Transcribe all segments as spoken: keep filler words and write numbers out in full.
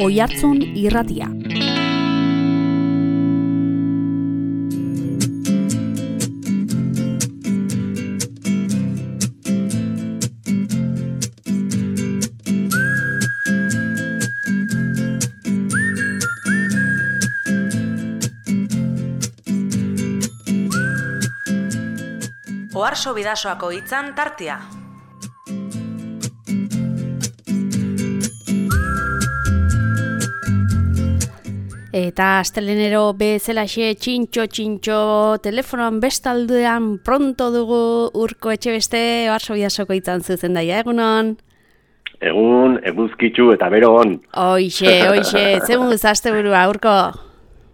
Oihartzun Irratia. Oharso Bidasoako hitzan tartea. Eta astelenero bezalaxe txintxo-txintxo telefonoan bestaldean pronto dugu Urko Etxebeste Oharso Bidasoko hitzan zuzendaia, egunon? Egun, eguzkitzu eta bero on. Oixe, oixe, zemun zazte burua, Urko?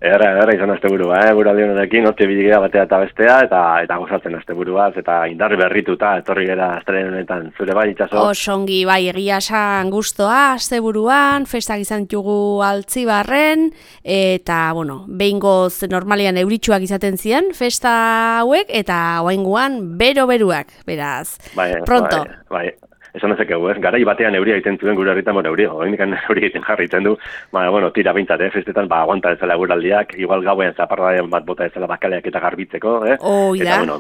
Erra, erra izan asteburua, eh? Guraldi honekin, hortxe biligea batea eta bestea, eta eta gozatzen asteburuaz, eta indar berrituta, etorri gara astelen honetan, zure bai itxaso? Osongi, bai, egia esan gustoa, asteburuan, festak izan ditugu Altzibarren, eta, bueno, behingoz normalian euritsuak izaten ziren, festa hauek, eta oaingoan bero-beruak, beraz, bai, pronto. Bai, bai. Esan ezakegu, ez? Garai batean euria egiten zuen gure herritan, bueno, euria, oindikan euria egiten jarritzen du, ba, bueno, tira bintzat, eh? Festetan, ba, aguanta ezala guraldiak, igual gauean zaparradean bat bota ezala bakaleak eta garbitzeko, eh? Oh, eta, bueno,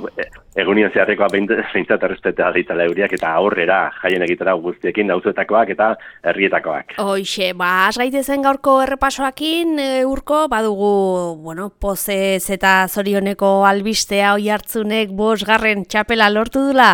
egunien zeharrekoa bintzat errespeta ditela euriak eta aurrera jaien egitera guztiekin dauzuetakoak eta herrietakoak. Hoixe, ba, az gaitezen gaurko errepasoakin, e, Urko, badugu, bueno, pozez eta zorioneko albistea Oihartzunek bosgarren txapela lortu dula?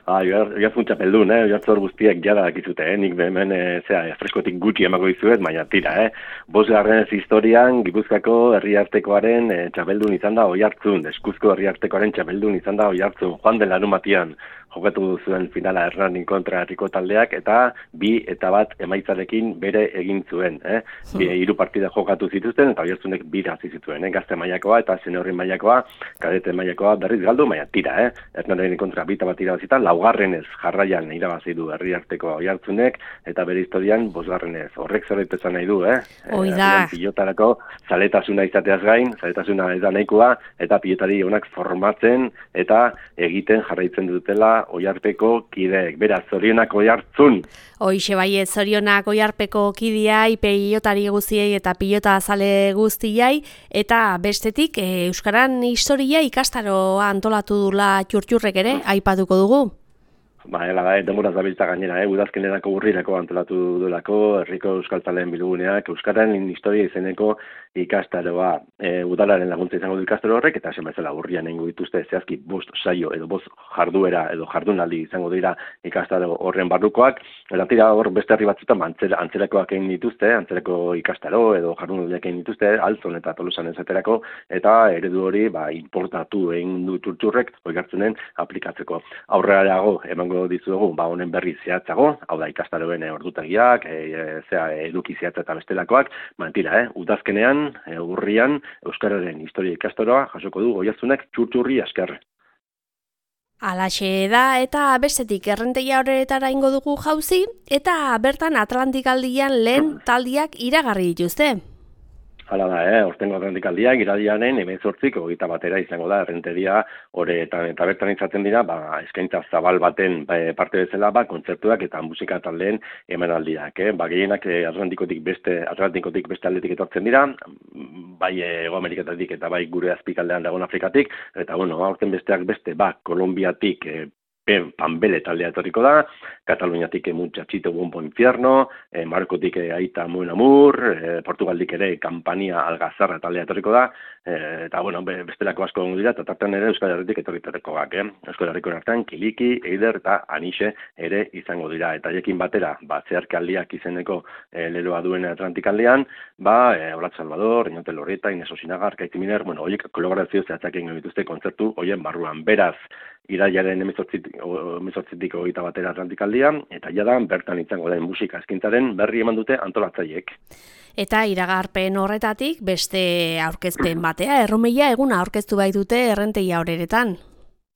Ah, Oihartzun txapeldun, eh? Oihartzun guztiek jada dakizute, eh? Nik hemen, e, zera, freskotik gutxi emako dizuet, baina tira, eh? Bosgarren historian, Gipuzkoako herriartekoaren e, txapeldun izan da Oihartzun, Eskuzko herriartekoaren txapeldun izan da Oihartzun, joan den larunbatian jokatu zuen finala Hernanin kontra herriko taldeak, eta bi eta bat emaitzarekin bere egin zuen, eh? Bi, hiru partida jokatu zituzten, eta Oihartzunek bira hasi zituen, eh? Gazte mailakoa eta seniorri mailakoa, kadete mailakoa berriz galdu, baina tira, eh? Hernanin kontra bi eta bat irabazitan, laugarrenez jarraian irabazi du herriarteko Oihartzunek, eta bere historian bosgarrenez. Horrek zerbait esan nahi du, eh? Hoi da. Pilotarako zaletasuna izateaz gain, zaletasuna ez da nahikoa, eta pilotari onak formatzen eta egiten jarraitzen dutela Oiharpeko kideek. Beraz, zorionak Oihartzun. Hoixe bai, zorionak Oiharpeko kideai, pilotari guztiei eta pilota azale guztiai, eta bestetik e, Euskaran historia ikastaroa antolatu dula txurtxurrek ere, aipatuko dugu. Ba, ela da, denboraz dabiltza gainera, eh? Udazkenerako urrirako antolatu dulako, herriko euskaltzaleen bilguneak, Euskaren historia izeneko ikastaroa. E, udalaren laguntza izango du ikastaro horrek, eta esan bezala urrian egingo dituzte zehazki bost saio edo bost jarduera edo jardunaldi izango dira ikastaro horren barrukoak. Eta tira hor beste herri batzutan antzera, antzerakoak egin dituzte, antzerako ikastaro edo jardunaldiak egin dituzte, Altzon eta Tolosan esaterako, eta eredu hori ba, importatu egin du txurtxurrek Oihartzunen aplikatzeko. Aurrera dago, emango dizuegu, ba, honen berri zehatzago, hau da ikastaroen e, ordutagiak, e, e, zera, eduki zehatza eta bestelakoak, mantira, eh? Udazkenean, e, urrian, Euskararen historia ikastaroa jasoko du Oihartzunek txurtxurri asker. Alaxe da, eta bestetik errenteia horretara ingo dugu jauzi, eta bertan Atlantikaldian lehen taldiak iragarri dituzte. Hala da, eh? Hortengo Atlantikaldiak iradianen hemezortzik hogeita batera izango da errenteria horretan eta bertan izaten dira, ba, eskaintza zabal baten ba, parte bezala, ba, kontzertuak eta musika taldeen emanaldiak, eh? Ba, gehienak eh, Atlantikotik beste Atlantikotik beste aldetik etortzen dira, bai Hego Ameriketatik eta bai gure azpikaldean dagoen Afrikatik, eta bueno, aurten besteak beste, ba, Kolombiatik eh, Panbele taldea etorriko da, Kataluniatik Muchachito Bombo Infierno, eh, Markotik eh, Aita Muen Amur, eh, Portugaldik ere Kampania Algazarra taldea etorriko da, eh, eta bueno, bestelako asko gongo dira, eta tartan ere Euskal Herritik etorrikoak, eh? Euskal Herriko artean Kiliki, Eider eta Anixe ere izango dira, eta jekin batera, ba, zeharkaldiak izeneko eh, leloa duen Atlantikaldean, ba, eh, Olat Salvador, Reñote Loreta, Ines Osinaga, Arkaiti Miner, bueno, horiek kolaborazio zehatzak egin dituzte kontzertu horien barruan, beraz, iraiaren hemezortzitik hogeita batera Atlantikaldia, eta jada bertan izango den musika eskintzaren berri eman dute antolatzaileek. Eta iragarpen horretatik beste aurkezpen batea, erromeia eguna aurkeztu baitute errenteia horeretan.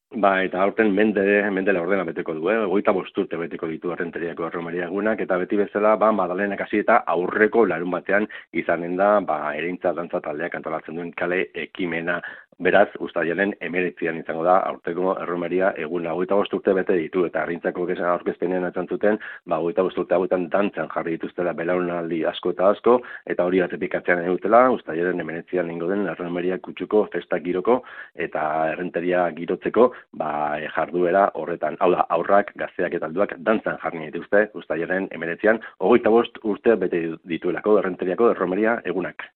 Ba, eta aurten mende, mendela ordena beteko du, eh? Goita bosturte beteko ditu errenteriako erromeria egunak, eta beti bezala, ba, Madalenak hasi eta aurreko larun batean izanen da, ba, ereintza dantza taldeak antolatzen duen kale ekimena Beraz, uztailaren hemeretzian izango da, aurteko erromeria egun hogeita bost urte bete ditu, eta Arrintzako aurkezpenean esan zuten, ba, hogeita bost urte hauetan dantzan jarri dituztela belaunaldi asko eta asko, eta hori atepikatzean edutela, uztailaren hemeretzian ingo den erromeria kutsuko festa giroko, eta errenteria girotzeko, ba, jarduera horretan. Hau da, aurrak, gazteak eta alduak dantzan jarri dituzte, uztailaren hemeretzian, hogeita bost urte bete dituelako errenteriako erromeria egunak.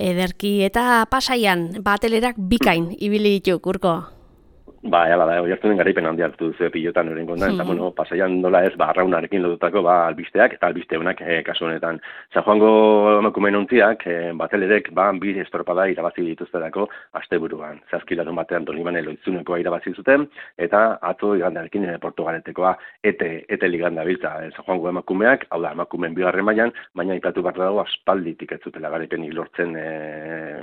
Ederki eta Pasaian batelerak bikain ibili ditu, Urko. Ba, hala da, hori hartu den garaipen handia hartu duzu pilotan horren kondan, eta, bueno, Pasaian nola ez, ba, arraunarekin lotutako, ba, albisteak, eta albisteunak, e, kasu honetan. San Juango emakumeen ontziak, e, batelerek, ba, bi estropada irabazi dituzterako asteburuan. Zazkilarun batean Donibane Loitzunekoa irabazi zuten, eta atzo igandarekin e, Portugaletekoa, ete, ete liganda biltza, e, San Juango emakumeak, hau da, emakumeen bigarren mailan, baina ipatu behar dago aspalditik ez zutela garaipenik lortzen e,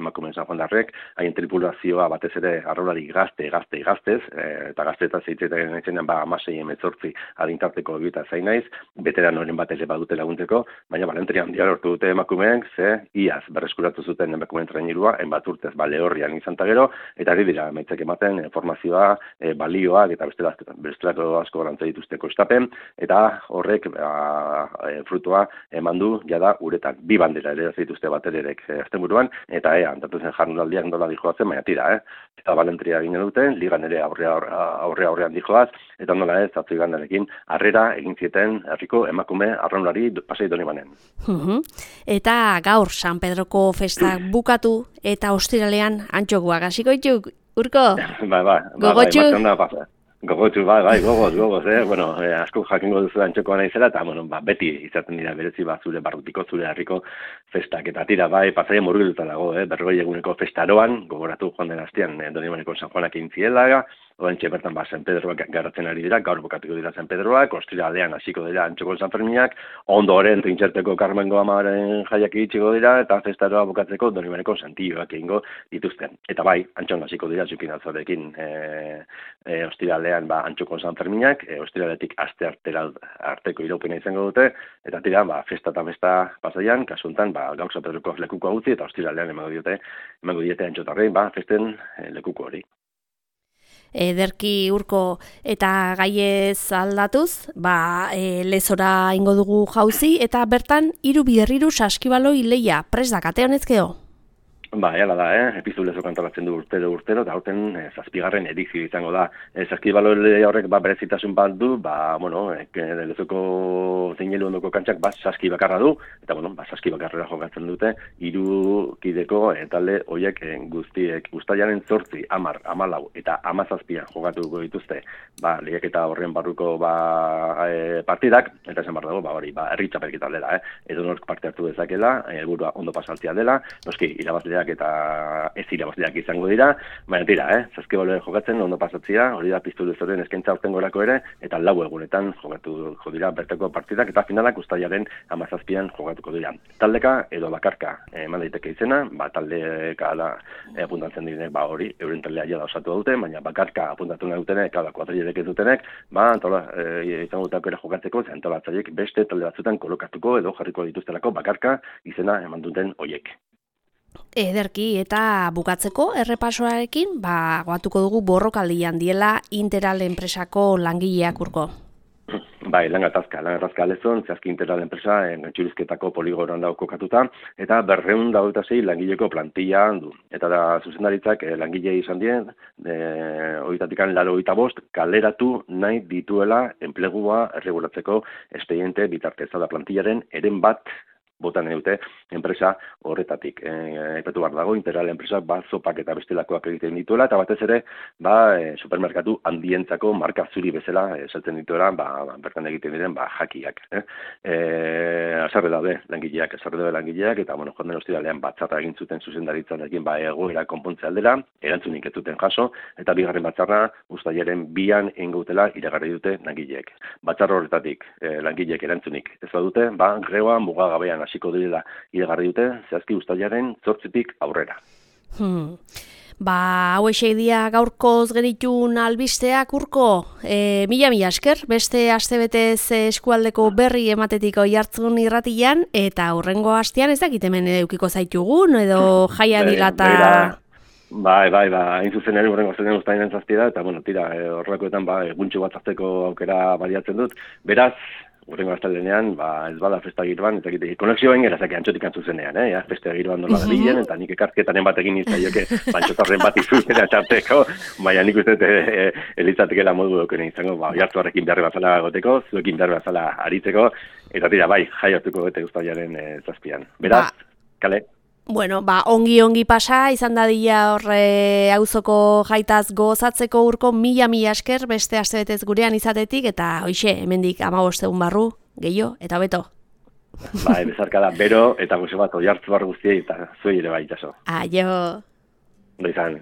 emakumeen San Juandarrek, haien tripulazioa batez ere arrolari gazte, gazte, gazte, eta gaztetan zeitzeten etxenean ba amasei emezortzi adintarteko egita zain naiz, veteranoren bat ere badute laguntzeko, baina balenteria handia lortu dute emakumeek, ze iaz berreskuratu zuten emakumeen trainirua, enbat urtez ba Lehorrian izan ta gero, eta ari dira emaitzak ematen e, formazioa, e, balioak eta bestelako asko garantza dituzteko estapen, eta horrek ba, e, frutua eman du jada uretan. Bi bandera ere dituzte batererek e, asteburuan, eta ea, antatu zen jardunaldiak nola dijoatzen, baina tira, eh? Eta balentria egin duten, ligan ere aurre aurre aurrean dijoaz, eta nola ez, atzo igandarekin, harrera egin zieten herriko emakume arraunlari Pasai Donibanen. Uh-huh. Eta gaur San Pedroko festak bukatu, eta ostiralean antxokoak hasiko dituk, Urko? Bai, bai, gogotxu? Gogotxu, bai, bai, gogoz, gogoz, eh? Bueno, eh, asko jakingo duzu antxokoa naizela, eta, bueno, ba, beti izaten dira berezi bat zure barrutiko, zure herriko festak, eta tira, bai, Pasaia murgilduta dago, eh? Berrogei eguneko festaroan, gogoratu joan den astean, eh, Donibaneko San Juanak egin ziela, Oantxe bertan ba San Pedroak garatzen ari dira, gaur bukatuko dira San Pedroak, ostiralean hasiko dira Antxoko San Ferminak, ondoren Trintxerteko Carmengo Amaren jaiak iritsiko dira, eta festaroa bukatzeko Donibaneko Santilloak egingo dituzten. Eta bai, Antxon hasiko dira Zukin Altzarekin e, e, ostiralean ba Antxoko San Ferminak, e, ostiraletik aste artera arteko iraupena izango dute, eta tira ba festa eta festa Pasaian, kasu honetan ba gaur San Pedroko lekuko utzi eta ostiralean emango diote, emango diete Antxotarrei ba festen e, lekuko hori. Ederki, Urko, eta gaiez aldatuz, ba, e, lezora ingo dugu jauzi, eta bertan hiru biderriru saskibaloi leia, pres da, kate honezkeo? Ba, hala da, eh? Epizu lezo kantolatzen du urtero urtero, eta horten eh, zazpigarren edizio izango da. Eh, saskibaloi horrek ba, berezitasun bat du, ba, bueno, eh, lezoko zeinelu ondoko kantxak ba, saski bakarra du, eta, bueno, ba, saski bakarrera jokatzen dute, hiru kideko eh, talde horiek eh, guztiek, guztaiaren zortzi, amar, amalau, eta amazazpian jokatuko dituzte, ba, lehiaketa horren barruko ba, eh, partidak, eta esan behar dago, ba, hori, ba, herri txapelketa dela, eh? Edo nork parte hartu dezakela, helburua ondo pasaltzea dela, noski, irabazlea eta ez irabazleak izango dira, baina tira, eh? Saskibaloen jokatzen ondo pasatzea, hori da piztu dezoren eskaintza aurtengorako ere, eta lau egunetan jokatu jo dira berteko partidak, eta finalak uztailaren hamazazpian jokatuko dira. Taldeka edo bakarka eman daiteke izena, ba, taldeka da e, apuntatzen direnek, ba, hori, euren taldea jada osatu dute, baina bakarka apuntatu nahi dutenek, kada kuadrilek ez dutenek, ba, antola, e, izango dutako ere jokatzeko, ze antolatzaiek beste talde batzutan kolokatuko edo jarriko dituztelako bakarka izena eman duten hoiek. Ederki, eta bukatzeko errepasoarekin, ba, goatuko dugu borrokaldian diela Interal enpresako langileak, Urko. Bai, lan gatazka, lan gatazka lezon, zehazki Interal enpresa entxurizketako poligoran dago kokatuta, eta berreun dauta zei langileko plantilla du. Eta da, zuzendaritzak eh, langile izan dien, eh, oitatikan laro oita bost, kaleratu nahi dituela enplegua erregulatzeko espediente bitartez, da plantillaren eren bat botan dute enpresa horretatik. Aipatu behar dago, Interal enpresak ba, zopak eta bestelakoak egiten dituela, eta batez ere ba, e, supermerkatu handientzako marka zuri bezala esaltzen dituela, ba, bertan egiten diren ba, jakiak. Eh? E, azarre daude langileak, azarre daude langileak, eta bueno, joan den ostiralean batzarra egin zuten zuzendaritzarekin ba, egoera konpontze aldera, erantzunik ez zuten jaso, eta bigarren batzarra uztailaren bian engautela iragarri dute langileek. Batzarra horretatik e, langileek erantzunik ez badute, ba, greoa mugagabean hasiko direla iragarri dute, zehazki uztailaren zortzitik aurrera. Hmm. Ba, hau esei dia gaurkoz genitun albisteak, Urko, e, mila mila esker, beste astebetez eskualdeko berri ematetiko jartzun irratian, eta hurrengo astean ez dakit hemen edukiko zaitugun, edo jaia dilata... Bai, bai, ba, hain zuzen ere horrengo zenen ustainen zazpi da, eta, bueno, tira, e, horrelakoetan, ba, eguntxo bat hartzeko aukera baliatzen dut. Beraz, horrengo astelenean, ba, ez bada festa giroan, eta egite, konexio bain gara, zake antxotik antzuzenean, eh? Ja, festa giroan nola da bilen, eta nik ekartketanen bat egin izan joke, bantxotarren bat izuzera txarteko, baina nik uste e, elitzatekela modu dokene izango, ba, jartzuarrekin behar bazala goteko, zuekin behar bazala aritzeko, eta tira, bai, jaiatuko bete ustailaren e, zazpian. Beraz, ba. Kale? Bueno, ba, ongi-ongi pasa, izan dadila horre auzoko jaitaz gozatzeko urko mila-mila esker beste astebetez gurean izatetik, eta hoixe, hemendik hamabost egun barru, gehiago, eta beto. Bai, bezarka da, bero, eta gozo bat oiartzu bar guztiei, eta zuei ere bai, jaso. Aio. Ondo izan.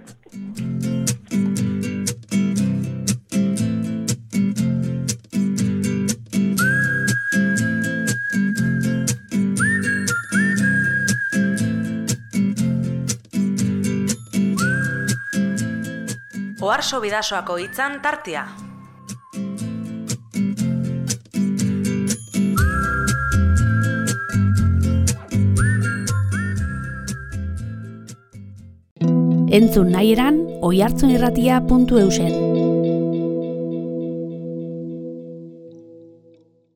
Oharso Bidasoako hitzan tartea. Entzun nahi eran oihartzunirratia puntu eusen.